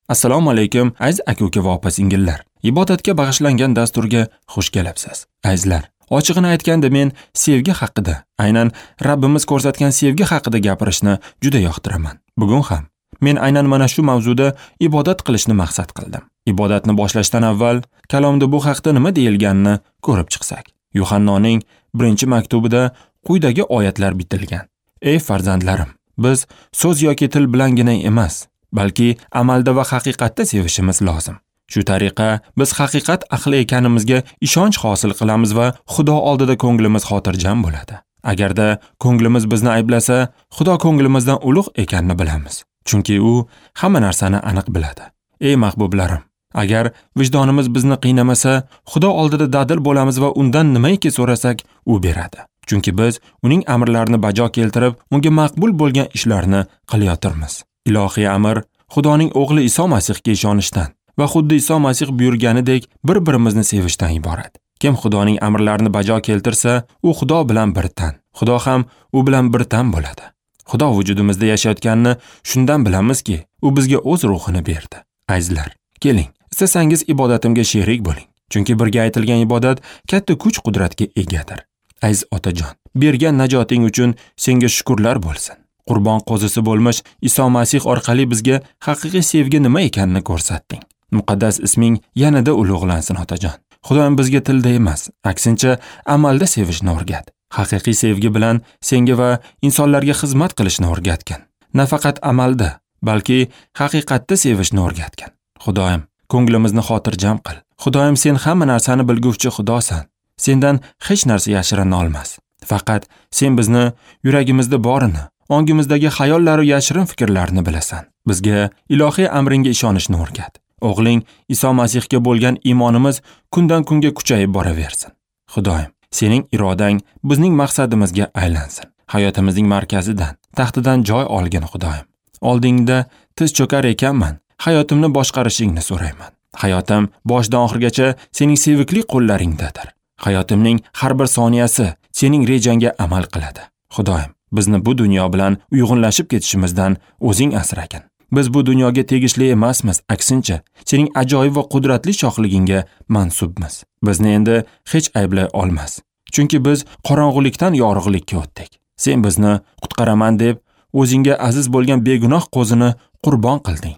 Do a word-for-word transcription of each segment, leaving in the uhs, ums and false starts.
Assalomu alaykum aziz aka-uka va opa-singillar. Ibodatga bag'ishlangan dasturga xush kelibsiz. Azizlar, ochig'ini aytganda men sevgi haqida, aynan Rabbimiz ko'rsatgan sevgi haqida gapirishni juda yoqtiraman. Bugun ham men aynan mana shu mavzuda ibodat qilishni maqsad qildim. Ibodatni boshlashdan avval kalomda bu haqda nima deyilganini ko'rib chiqsak. Yuhannoning birinchi maktubida quyidagi oyatlar bitilgan. Ey farzandlarim, biz so'z yoki til bilangina emas, balki amalda va haqiqatda sevishimiz lozim. Shu tariqa biz haqiqat ahli ekanimizga ishonch hosil qilamiz va Xudo oldida ko'nglimiz xotirjam bo'ladi. Agarda ko'nglimiz bizni ayblasa, Xudo ko'nglimizdan ulug' ekanini bilamiz. Chunki u hamma narsani aniq biladi. Ey mahbublarim, agar vijdonimiz bizni qiynamasa, Xudo oldida dadil bo'lamiz va undan nimaiki so'rasak, u beradi. Chunki biz uning amrlarini bajo keltirib, unga maqbul bo'lgan ishlarni qilayotirmiz. Ilohiy amr Xudoning o'g'li Iso Masihga ishonishdan va xuddi Iso Masih buyurganidek bir-birimizni sevishdan iborat. Kim Xudoning amrlarini bajo keltirsa, u Xudo bilan bir tan, Xudo ham u bilan bir tan bo'ladi. Xudo vujudimizda yashayotganini shundan bilamizki, u bizga o'z ruhini berdi. Azizlar, keling, istasangiz ibodatimga sherik bo'ling. Chunki birga aytilgan ibodat katta kuch-qudratga egadir. Aziz otajon, bergan najoting uchun senga shukrlar bo'lsin. Qurbon qo'zisi bo'lmish Iso Masih orqali bizga haqiqiy sevgi nima ekanini ko'rsatding. Muqaddas isming yanada ulug'lansin otajon. Xudoyim bizga tilda emas, aksincha amalda sevishni o'rgat. Haqiqiy sevgi bilan senga va insonlarga xizmat qilishni o'rgatgin. Nafaqat amalda, balki haqiqatda sevishni o'rgatgin. Xudoyim, ko'nglimizni xotirjam qil. Xudoyim, sen hamma narsani bilguvchi Xudosan. Sendan hech narsa yashirina olmas. Faqat sen bizni yuragimizda borini, ongimizdagi xayollar va yashirin fikrlarni bilasan. Bizga ilohiy amringga ishonishni o'rgat. O'g'ling Iso Masihga bo'lgan iymonimiz kundan kunga kuchayib boraversin. Xudoyim, sening irodang bizning maqsadimizga aylansin. Hayotimizning markazidan, taxtidan joy olgin Xudoyim. Oldingda tiz cho'kar ekanman, hayotimni boshqarishingni so'rayman. Hayotim boshdan oxirgacha sening sevikli qo'llaringdadir. Hayotimning har bir soniyasi sening rejangga amal qiladi. Xudoyim, bizni bu dunyo bilan uyg'unlashib ketishimizdan o'zing asragin. Biz bu dunyoga tegishli emasmiz, aksincha sening ajoyib va qudratli shohligingga mansubmiz. Bizni endi hech ayblay olmas. Chunki biz qorong'ulikdan yorug'likka o'tdik. Sen bizni qutqaraman deb o'zingga aziz bo'lgan begunoh qo'zini qurbon qilding.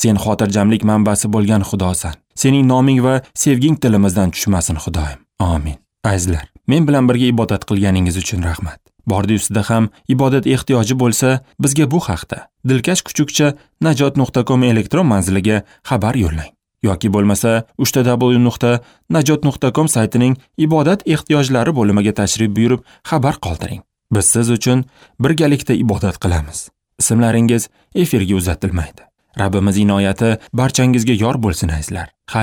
Sen xotirjamlik manbasi bo'lgan Xudosan. Sening noming va sevging tilimizdan tushmasin Xudoyim. Amin. Azizlar, men bilan birga ibodat qilganingiz uchun rahmat. Bordi ustida ham ibodat ehtiyoji bo'lsa, bizga bu haqda dilkash kuchukcha najot nuqta com elektron manziliga xabar yo'llang yoki bo'lmasa uch ta w nuqta najot nuqta com saytining ibodat ehtiyojlari bo'limiga tashrif buyurib xabar qoldiring. Biz siz uchun birgalikda ibodat qilamiz. Ismlaringiz efirga uzatilmaydi. Rabbimiz inoyati barchangizga yor bo'lsin azizlar. Xayr.